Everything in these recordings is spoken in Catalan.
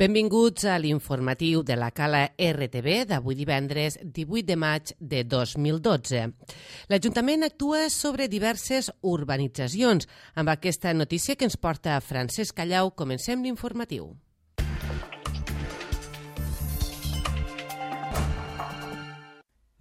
Benvinguts a l'informatiu de la Cala RTV d'avui divendres 18 de maig de 2012. L'Ajuntament actua sobre diverses urbanitzacions. Amb aquesta notícia que ens porta Francesc Callau, comencem l'informatiu.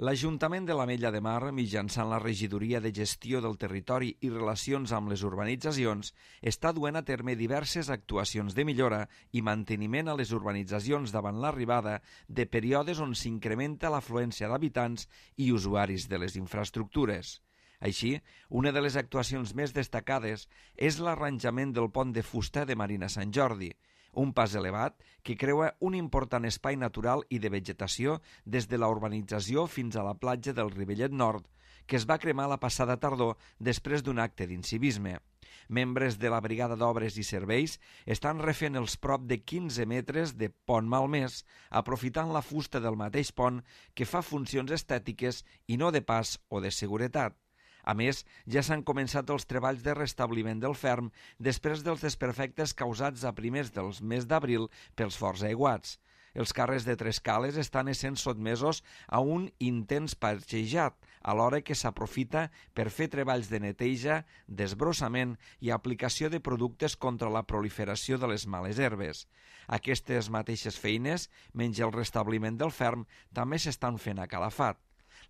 L'Ajuntament de l'Ametlla de Mar, mitjançant la Regidoria de Gestió del Territori i Relacions amb les Urbanitzacions, està duent a terme diverses actuacions de millora i manteniment a les urbanitzacions davant l'arribada de períodes on s'incrementa l'afluència d'habitants i usuaris de les infraestructures. Així, una de les actuacions més destacades és l'arranjament del pont de fusta de Marina Sant Jordi, un pas elevat que creua un important espai natural i de vegetació des de la urbanització fins a la platja del Rivellet Nord, que es va cremar la passada tardor després d'un acte d'incivisme. Membres de la Brigada d'Obres i Serveis estan refent els prop de 15 metres de pont malmès, aprofitant la fusta del mateix pont que fa funcions estètiques i no de pas o de seguretat. A més, ja s'han començat els treballs de restabliment del ferm després dels desperfectes causats a primers del mes d'abril pels forts aiguats. Els carrers de Trescales estan essent sotmesos a un intens parxejat, alhora que s'aprofita per fer treballs de neteja, desbrossament i aplicació de productes contra la proliferació de les males herbes. Aquestes mateixes feines, menys el restabliment del ferm, també s'estan fent a Calafat.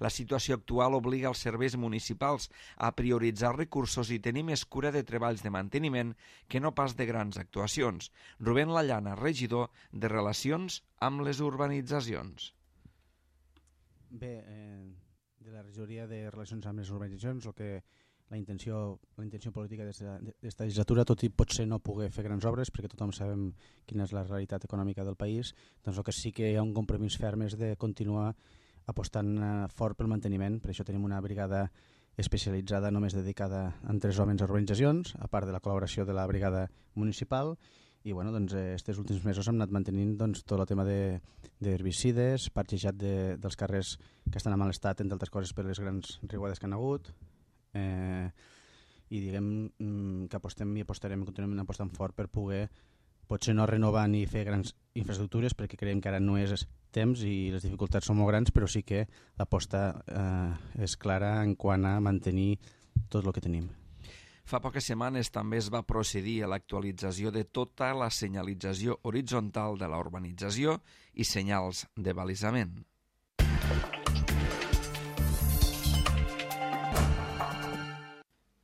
La situació actual obliga els serveis municipals a prioritzar recursos i tenir més cura de treballs de manteniment que no pas de grans actuacions. Rubén Lallana, regidor de Relacions amb les Urbanitzacions. Bé, de la regidoria de Relacions amb les Urbanitzacions, la intenció política d'esta legislatura, tot i potser no poder fer grans obres, perquè tothom sabem quina és la realitat econòmica del país, doncs el que sí que hi ha un compromís ferm és de continuar apostant fort pel manteniment. Per això tenim una brigada especialitzada només dedicada a 3 homes a urbanitzacions, a part de la col·laboració de la brigada municipal, i aquests últims mesos hem anat mantenint tot el tema d'herbicides, parxejat dels carrers que estan en mal estat, entre altres coses per les grans riuades que han hagut, i diguem que apostem i apostarem, continuem apostant fort per poder potser no renovar ni fer grans infraestructures, perquè creiem que ara no és temps i les dificultats són molt grans, però sí que l'aposta és clara en quant a mantenir tot el que tenim. Fa poques setmanes també es va procedir a l'actualització de tota la senyalització horitzontal de la urbanització i senyals de balisament.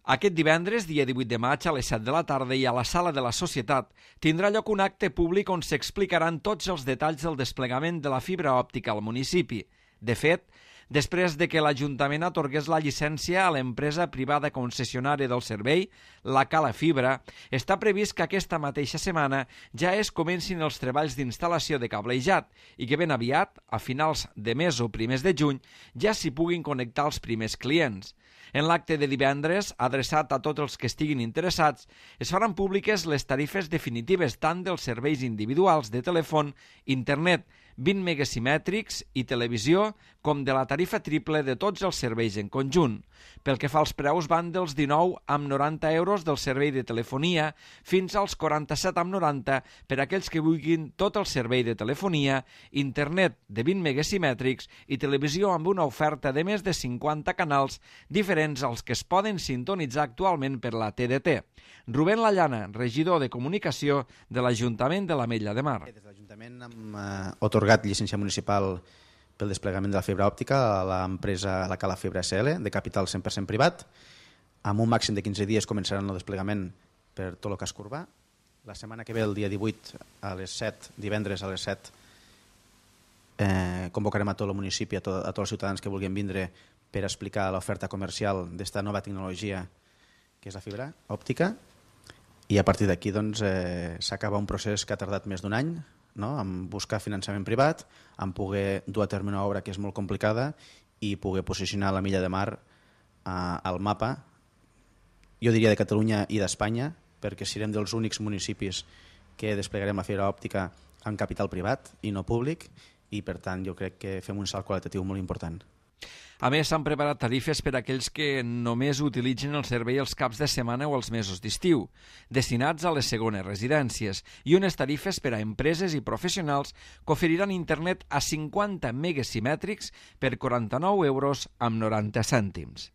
Aquest divendres, dia 18 de maig, a les 7 de la tarda i a la Sala de la Societat, tindrà lloc un acte públic on s'explicaran tots els detalls del desplegament de la fibra òptica al municipi. De fet, després de que l'Ajuntament atorgués la llicència a l'empresa privada concessionària del servei, la Cala Fibra, està previst que aquesta mateixa setmana ja es comencin els treballs d'instal·lació de cablejat i que ben aviat, a finals de mes o primers de juny, ja s'hi puguin connectar els primers clients. En l'acte de divendres, adreçat a tots els que estiguin interessats, es faran públiques les tarifes definitives tant dels serveis individuals de telèfon, internet, 20 megasimètrics i televisió, com de la tarifa triple de tots els serveis en conjunt. Pel que fa als preus, van dels 19,90 euros del servei de telefonia fins als 47,90 per a aquells que vulguin tot el servei de telefonia, internet de 20 megasimètrics i televisió amb una oferta de més de 50 canals diferents als que es poden sintonitzar actualment per la TDT. Rubén Lallana, regidor de Comunicació de l'Ajuntament de l'Ametlla de Mar. Des de l'Ajuntament hem atorgat llicència municipal pel desplegament de la fibra òptica a l'empresa La Cala Fibra SL, de capital 100% privat. Amb un màxim de 15 dies començaran el desplegament per tot el casc urbà. La setmana que ve, el dia 18, a les 7, divendres a les 7, convocarem a tot el municipi, a tots els ciutadans que vulguin vindre per explicar l'oferta comercial d'esta nova tecnologia que és la fibra òptica, i a partir d'aquí s'acaba un procés que ha tardat més d'un any, en buscar finançament privat, en poder dur a terme una obra que és molt complicada i poder posicionar l'Ametlla de Mar al mapa, jo diria de Catalunya i d'Espanya, perquè serem dels únics municipis que desplegarem la fibra òptica amb capital privat i no públic, i per tant jo crec que fem un salt qualitatiu molt important. A més, s'han preparat tarifes per a aquells que només utilitzen el servei els caps de setmana o els mesos d'estiu, destinats a les segones residències, i unes tarifes per a empreses i professionals que oferiran internet a 50 megas simètrics per 49 euros amb 90 cèntims.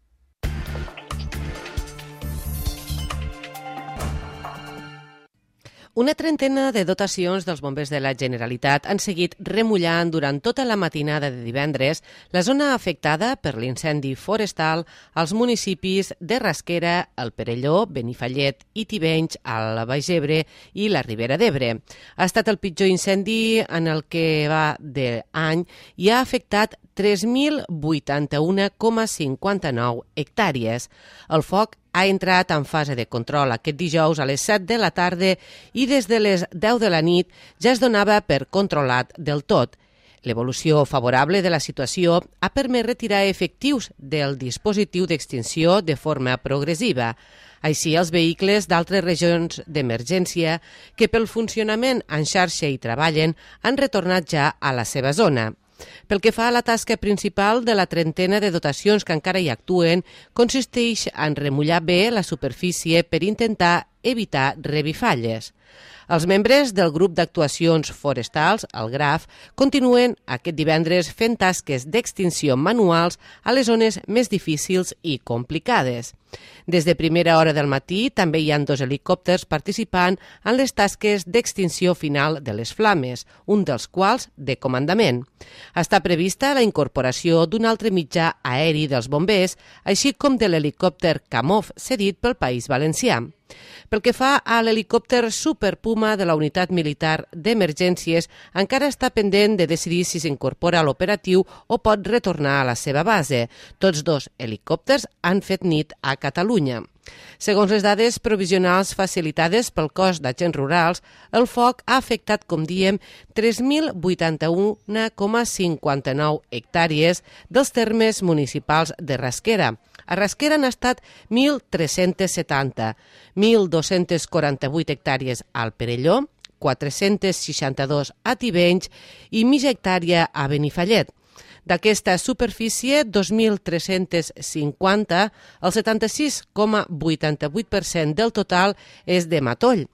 Una trentena de dotacions dels bombers de la Generalitat han seguit remullant durant tota la matinada de divendres la zona afectada per l'incendi forestal als municipis de Rasquera, el Perelló, Benifallet i Tivenys, al Baix Ebre i la Ribera d'Ebre. Ha estat el pitjor incendi en el que va d'any i ha afectat 3.081,59 hectàrees. El foc ha entrat en fase de control aquest dijous a les 7 de la tarda i des de les 10 de la nit ja es donava per controlat del tot. L'evolució favorable de la situació ha permès retirar efectius del dispositiu d'extinció de forma progressiva. Així, els vehicles d'altres regions d'emergència que pel funcionament en xarxa hi treballen han retornat ja a la seva zona. Pel que fa a la tasca principal de la trentena de dotacions que encara hi actuen, consisteix en remullar bé la superfície per intentar evitar revifalles. Els membres del grup d'actuacions forestals, el GRAF, continuen aquest divendres fent tasques d'extinció manuals a les zones més difícils i complicades. Des de primera hora del matí també hi ha 2 helicòpters participant en les tasques d'extinció final de les flames, un dels quals de comandament. Està prevista la incorporació d'un altre mitjà aeri dels bombers, així com de l'helicòpter Kamov cedit pel País Valencià. Pel que fa a l'helicòpter Super Puma de la Unitat Militar d'Emergències, encara està pendent de decidir si s'incorpora a l'operatiu o pot retornar a la seva base. Tots 2 helicòpters han fet nit a Catalunya. Segons les dades provisionals facilitades pel cos d'agents rurals, el foc ha afectat, com diem, 3.081,59 hectàrees dels termes municipals de Rasquera. A Rasquera han estat 1.370, 1.248 hectàrees al Perelló, 462 a Tivenys i mitja hectàrea a Benifallet. D'aquesta superfície, 2.350, el 76,88% del total és de matoll.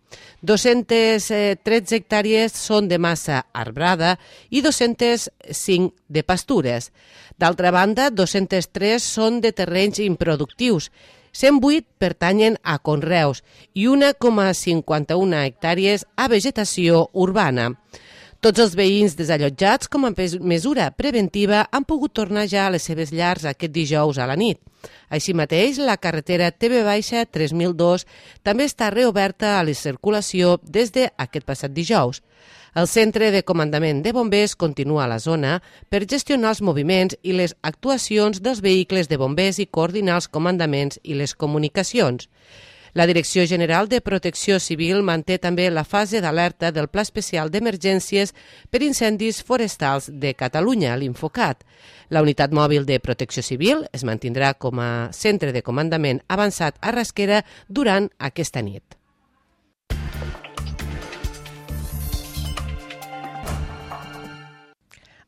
213 hectàrees són de massa arbrada i 205 de pastures. D'altra banda, 203 són de terrenys improductius, 108 pertanyen a conreus i 1,51 hectàrees a vegetació urbana. Tots els veïns desallotjats, com a mesura preventiva, han pogut tornar ja a les seves llars aquest dijous a la nit. Així mateix, la carretera TV-3002 també està reoberta a la circulació des d'aquest passat dijous. El centre de comandament de bombers continua a la zona per gestionar els moviments i les actuacions dels vehicles de bombers i coordinar els comandaments i les comunicacions. La Direcció General de Protecció Civil manté també la fase d'alerta del Pla Especial d'Emergències per Incendis Forestals de Catalunya, l'Infocat. La Unitat Mòbil de Protecció Civil es mantindrà com a centre de comandament avançat a Rasquera durant aquesta nit.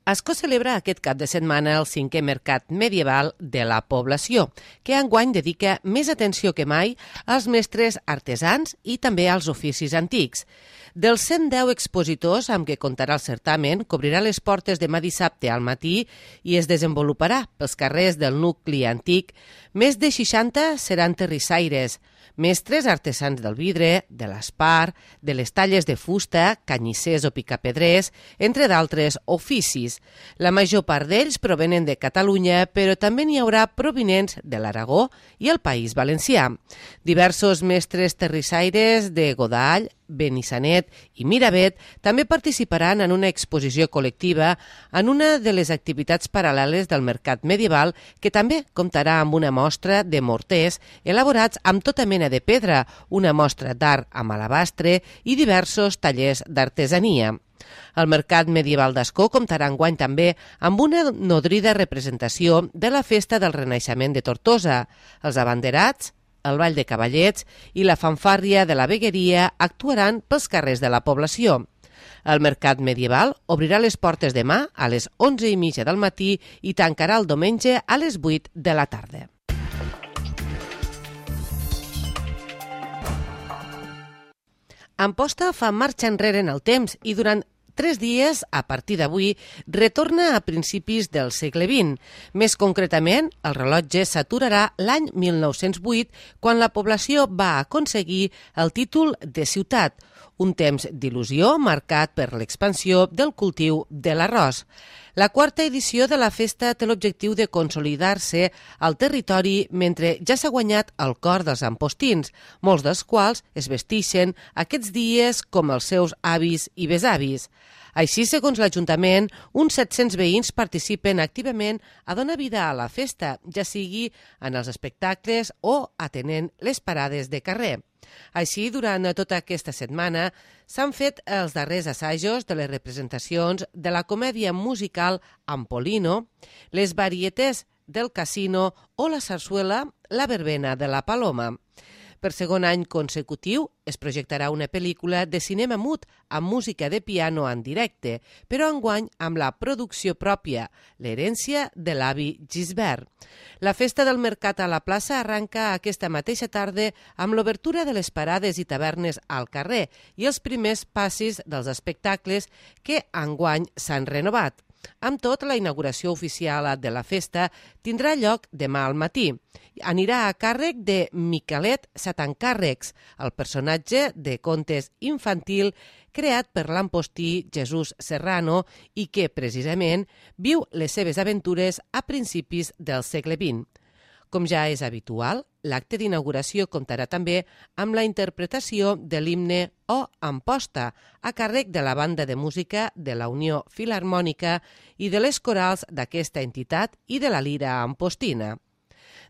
Ascó celebra aquest cap de setmana el 5è Mercat Medieval de la Població, que enguany dedica més atenció que mai als mestres artesans i també als oficis antics. Dels 110 expositors amb què comptarà el certamen, cobrirà les portes demà dissabte al matí i es desenvoluparà pels carrers del nucli antic. Més de 60 seran terrissaires, mestres artesans del vidre, de l'espart, de les talles de fusta, canyissers o picapedrers, entre d'altres oficis. La major part d'ells provenen de Catalunya, però també n'hi haurà provinents de l'Aragó i el País Valencià. Diversos mestres terrissaires de Godall, Benissanet i Miravet també participaran en una exposició col·lectiva en una de les activitats paral·leles del Mercat Medieval, que també comptarà amb una mostra de morters elaborats amb tota mena de pedra, una mostra d'art amb alabastre i diversos tallers d'artesania. El Mercat Medieval d'Ascó comptarà enguany també amb una nodrida representació de la Festa del Renaixement de Tortosa. Els abanderats, el Ball de Cavallets i la fanfàrria de la Vegueria actuaran pels carrers de la població. El mercat medieval obrirà les portes demà a les 11:30 del matí i tancarà el diumenge a les 8 de la tarda. Amposta fa marxa enrere en el temps i durant 3 dies, a partir d'avui, retorna a principis del segle XX. Més concretament, el rellotge s'aturarà l'any 1908, quan la població va aconseguir el títol de ciutat, un temps d'il·lusió marcat per l'expansió del cultiu de l'arròs. La quarta edició de la festa té l'objectiu de consolidar-se al territori mentre ja s'ha guanyat el cor dels ampostins, molts dels quals es vesteixen aquests dies com els seus avis i besavis. Així, segons l'Ajuntament, uns 700 veïns participen activament a donar vida a la festa, ja sigui en els espectacles o atenent les parades de carrer. Així, durant tota aquesta setmana s'han fet els darrers assajos de les representacions de la comèdia musical Ampolino, les varietés del Casino o la sarsuela La verbena de la Paloma. Per segon any consecutiu es projectarà una pel·lícula de cinema mut amb música de piano en directe, però enguany amb la producció pròpia, l'herència de l'avi Gisbert. La festa del mercat a la plaça arranca aquesta mateixa tarda amb l'obertura de les parades i tavernes al carrer i els primers passis dels espectacles que enguany s'han renovat. Amb tot, la inauguració oficial de la festa tindrà lloc demà al matí. Anirà a càrrec de Miquelet Satancàrrecs, el personatge de contes infantil creat per l'ampostí Jesús Serrano i que, precisament, viu les seves aventures a principis del segle XX. Com ja és habitual, l'acte d'inauguració comptarà també amb la interpretació de l'himne O Amposta, a càrrec de la banda de música de la Unió Filharmònica i de les corals d'aquesta entitat i de la Lira Ampostina.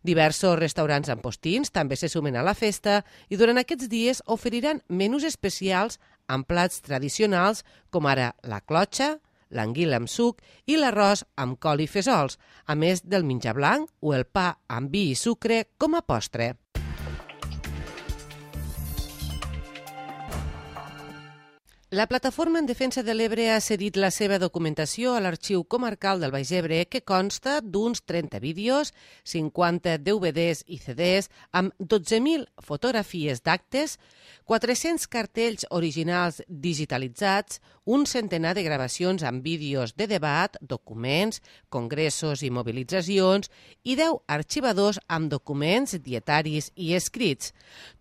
Diversos restaurants ampostins també se sumen a la festa i durant aquests dies oferiran menús especials amb plats tradicionals com ara la clotxa, l'anguila amb suc i l'arròs amb col i fesols, a més del menjar blanc o el pa amb vi i sucre com a postre. La Plataforma en Defensa de l'Ebre ha cedit la seva documentació a l'Arxiu Comarcal del Baix Ebre, que consta d'uns 30 vídeos, 50 DVDs i CDs, amb 12.000 fotografies d'actes, 400 cartells originals digitalitzats, un centenar de gravacions amb vídeos de debat, documents, congressos i mobilitzacions i 10 arxivadors amb documents, dietaris i escrits.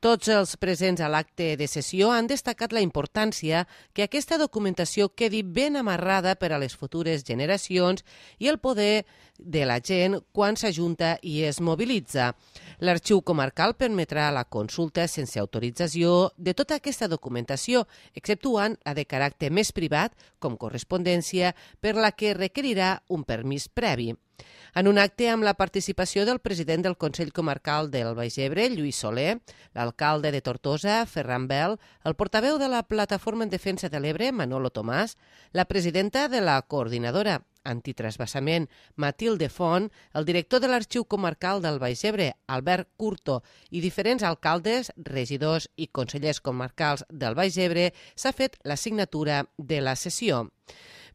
Tots els presents a l'acte de sessió han destacat la importància que aquesta documentació quedi ben amarrada per a les futures generacions i el poder de la gent quan s'ajunta i es mobilitza. L'Arxiu Comarcal permetrà la consulta sense autorització de tota aquesta documentació, exceptuant la de caràcter més privat, com correspondència, per la que requerirà un permís previ. En un acte amb la participació del president del Consell Comarcal del Baix Ebre, Lluís Soler, l'alcalde de Tortosa, Ferran Bel, el portaveu de la Plataforma en Defensa de l'Ebre, Manolo Tomàs, la presidenta de la coordinadora antitransvasament, Matilde Font, el director de l'Arxiu Comarcal del Baix Ebre, Albert Curto, i diferents alcaldes, regidors i consellers comarcals del Baix Ebre, s'ha fet la signatura de la sessió.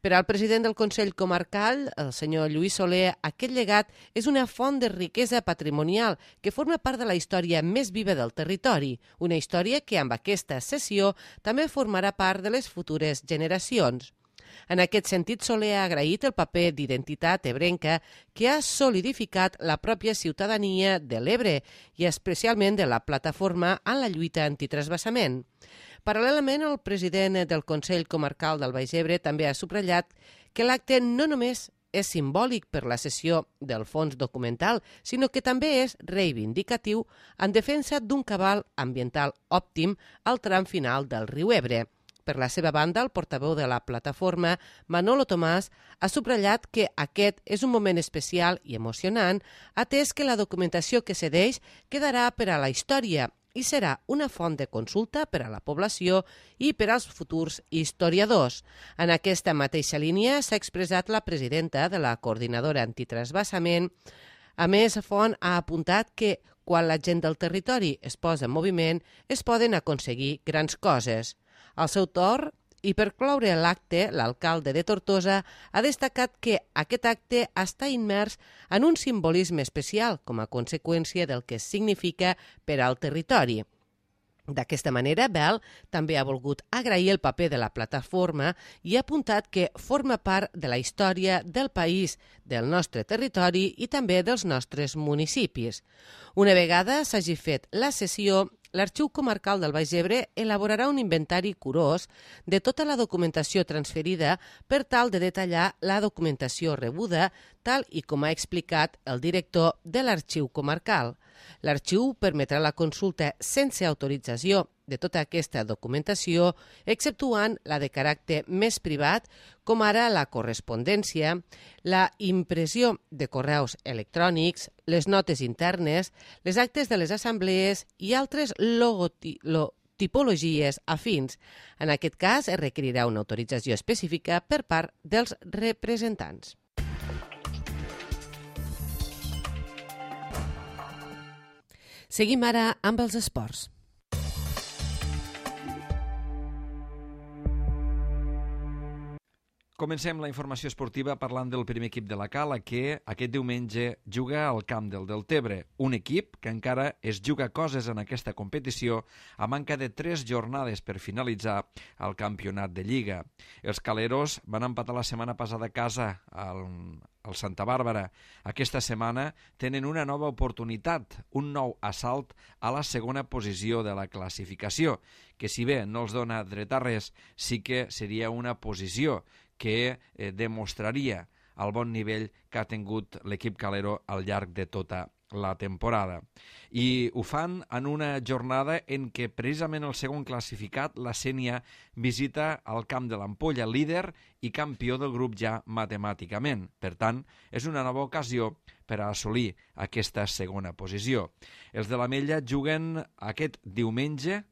Per al president del Consell Comarcal, el senyor Lluís Soler, aquest llegat és una font de riquesa patrimonial que forma part de la història més viva del territori, una història que amb aquesta sessió també formarà part de les futures generacions. En aquest sentit, Soler ha agraït el paper d'identitat ebrenca que ha solidificat la pròpia ciutadania de l'Ebre i especialment de la plataforma en la lluita antitransvasament. Paral·lelament, el president del Consell Comarcal del Baix Ebre també ha subratllat que l'acte no només és simbòlic per la cessió del fons documental, sinó que també és reivindicatiu en defensa d'un cabal ambiental òptim al tram final del riu Ebre. Per la seva banda, el portaveu de la plataforma, Manolo Tomàs, ha subratllat que aquest és un moment especial i emocionant, atès que la documentació que cedeix quedarà per a la història i serà una font de consulta per a la població i per als futurs historiadors. En aquesta mateixa línia s'ha expressat la presidenta de la coordinadora antitransvasament. A més, Font ha apuntat que quan la gent del territori es posa en moviment es poden aconseguir grans coses. Al seu torn, I per cloure l'acte, l'alcalde de Tortosa ha destacat que aquest acte està immers en un simbolisme especial com a conseqüència del que significa per al territori. D'aquesta manera, Bel també ha volgut agrair el paper de la plataforma i ha apuntat que forma part de la història del país, del nostre territori i també dels nostres municipis. Una vegada s'hagi fet la sessió, l'Arxiu Comarcal del Baix Ebre elaborarà un inventari curós de tota la documentació transferida per tal de detallar la documentació rebuda, tal i com ha explicat el director de l'Arxiu Comarcal. L'arxiu permetrà la consulta sense autorització de tota aquesta documentació, exceptuant la de caràcter més privat, com ara la correspondència, la impressió de correus electrònics, les notes internes, les actes de les assemblees i altres tipologies afins. En aquest cas, es requerirà una autorització específica per part dels representants. Seguim ara amb els esports. Comencem la informació esportiva parlant del primer equip de la Cala, que aquest diumenge juga al Camp del Deltebre, un equip que encara es juga coses en aquesta competició a manca de 3 jornades per finalitzar el campionat de Lliga. Els caleros van empatar la setmana passada a casa al Santa Bàrbara. Aquesta setmana tenen una nova oportunitat, un nou assalt a la segona posició de la classificació, que si bé no els dona dret a res, sí que seria una posició que demostraria el bon nivell que ha tingut l'equip calero al llarg de tota la temporada. I ho fan en una jornada en què precisament el segon classificat, la Sénia, visita el Camp de l'Ampolla, líder i campió del grup ja matemàticament. Per tant, és una nova ocasió per a assolir aquesta segona posició. Els de l'Ametlla juguen aquest diumenge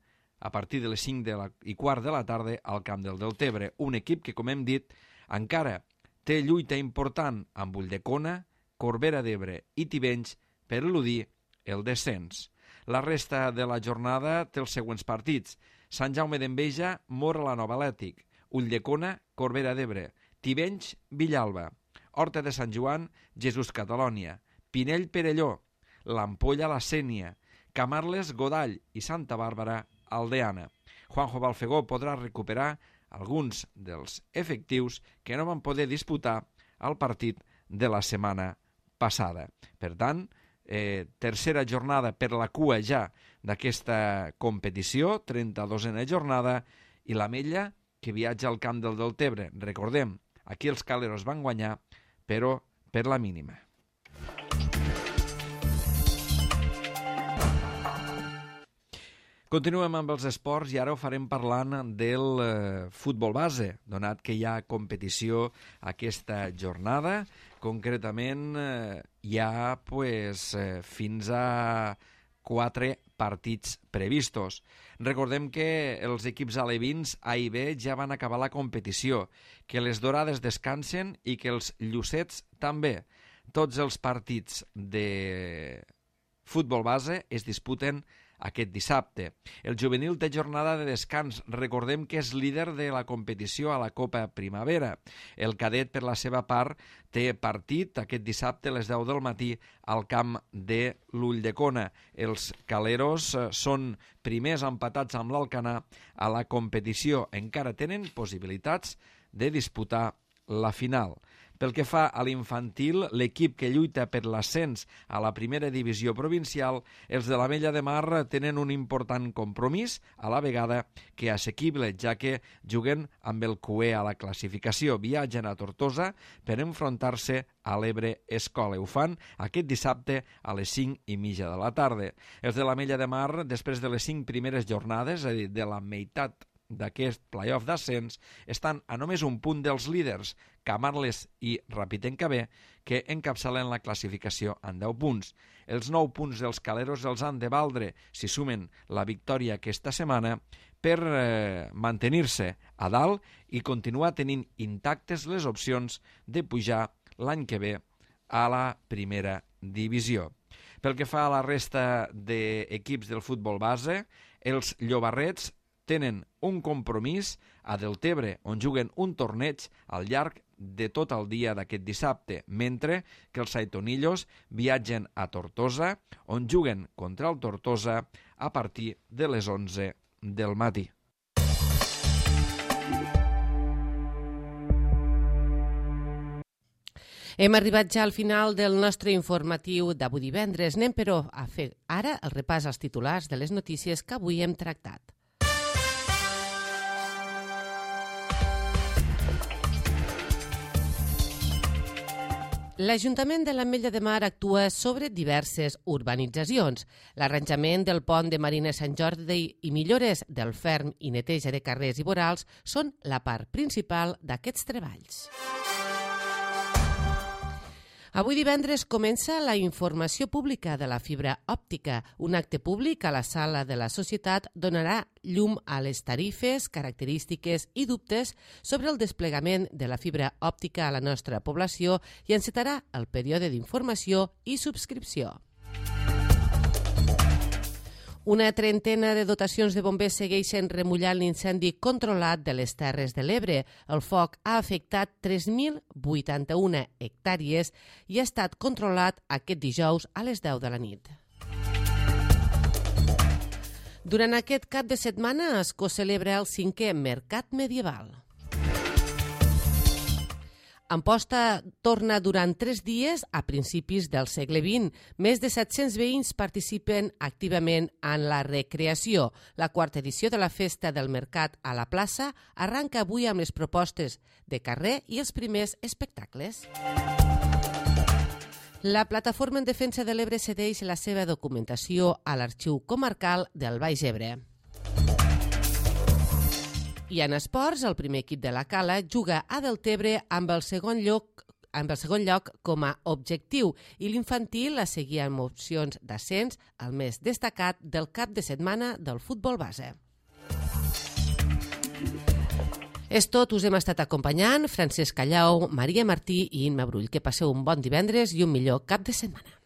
a partir de les 5:15 de la tarda al Camp del Deltebre, un equip que, com hem dit, encara té lluita important amb Ulldecona, Corbera d'Ebre i Tivenys per eludir el descens. La resta de la jornada té els següents partits: Sant Jaume d'Enveja, Móra la Nova Atlètic, Ulldecona, Corbera d'Ebre, Tivenys, Villalba, Horta de Sant Joan, Jesús Catalònia, Pinell Perelló, l'Ampolla la Sénia, Camarles, Godall i Santa Bàrbara, Aldeana. Juanjo Balfegó podrà recuperar alguns dels efectius que no van poder disputar el partit de la setmana passada. Per tant, tercera jornada per la cua ja d'aquesta competició, 32a jornada, i l'Ametlla que viatja al Camp del Deltebre. Recordem, aquí els caleros van guanyar, però per la mínima. Continuem amb els esports i ara ho farem parlant del futbol base, donat que hi ha competició aquesta jornada. Concretament hi ha fins a 4 partits previstos. Recordem que els equips alevins A i B ja van acabar la competició, que les dorades descansen i que els llucets també. Tots els partits de futbol base es disputen aquest dissabte. El juvenil té jornada de descans. Recordem que és líder de la competició a la Copa Primavera. El cadet, per la seva part, té partit aquest dissabte a les 10 del matí al camp de l'Ulldecona. Els caleros són primers empatats amb l'Alcanar a la competició. Encara tenen possibilitats de disputar la final. Pel que fa a l'infantil, l'equip que lluita per l'ascens a la primera divisió provincial, els de l'Ametlla de Mar tenen un important compromís, a la vegada que assequible, ja que juguen amb el cué a la classificació. Viatgen a Tortosa per enfrontar-se a l'Ebre Escola. Ho fan aquest dissabte a les 5:30 de la tarda. Els de l'Ametlla de Mar, després de les 5 primeres jornades, és a dir, de la meitat d'aquest play-off d'ascens, estan a només un punt dels líders, Camarles i Rapitenca B, que encapçalen la classificació en 10 punts. Els 9 punts dels caleros els han de valdre, si sumen la victòria aquesta setmana, per mantenir-se a dalt i continuar tenint intactes les opcions de pujar l'any que ve a la primera divisió. Pel que fa a la resta d'equips del futbol base, els llobarrets tenen un compromís a Deltebre, on juguen un torneig al llarg de tot el dia d'aquest dissabte, mentre que els Saitonillos viatgen a Tortosa, on juguen contra el Tortosa a partir de les 11 del matí. Hem arribat ja al final del nostre informatiu d'avui divendres. Anem, però, a fer ara el repàs als titulars de les notícies que avui hem tractat. L'Ajuntament de l'Ametlla de Mar actua sobre diverses urbanitzacions. L'arranjament del pont de Marina Sant Jordi i millores del ferm i neteja de carrers i vorals són la part principal d'aquests treballs. Avui divendres comença la informació pública de la fibra òptica. Un acte públic a la sala de la Societat donarà llum a les tarifes, característiques i dubtes sobre el desplegament de la fibra òptica a la nostra població i encetarà el període d'informació i subscripció. Una trentena de dotacions de bombers segueixen remullant l'incendi controlat de les Terres de l'Ebre. El foc ha afectat 3.081 hectàrees i ha estat controlat aquest dijous a les 10 de la nit. Durant aquest cap de setmana es co-celebra el 5è Mercat Medieval. Amposta torna durant 3 dies a principis del segle XX. Més de 700 veïns participen activament en la recreació. La 4ª edició de la Festa del Mercat a la plaça arranca avui amb les propostes de carrer i els primers espectacles. La Plataforma en Defensa de l'Ebre cedeix la seva documentació a l'Arxiu Comarcal del Baix Ebre. I en esports, el primer equip de la Cala juga a Deltebre amb el segon lloc com a objectiu i l'infantil la seguia amb opcions d'ascens, el més destacat del cap de setmana del futbol base. És tot, us hem estat acompanyant Francesc Callau, Maria Martí i Imma Brull. Que passeu un bon divendres i un millor cap de setmana.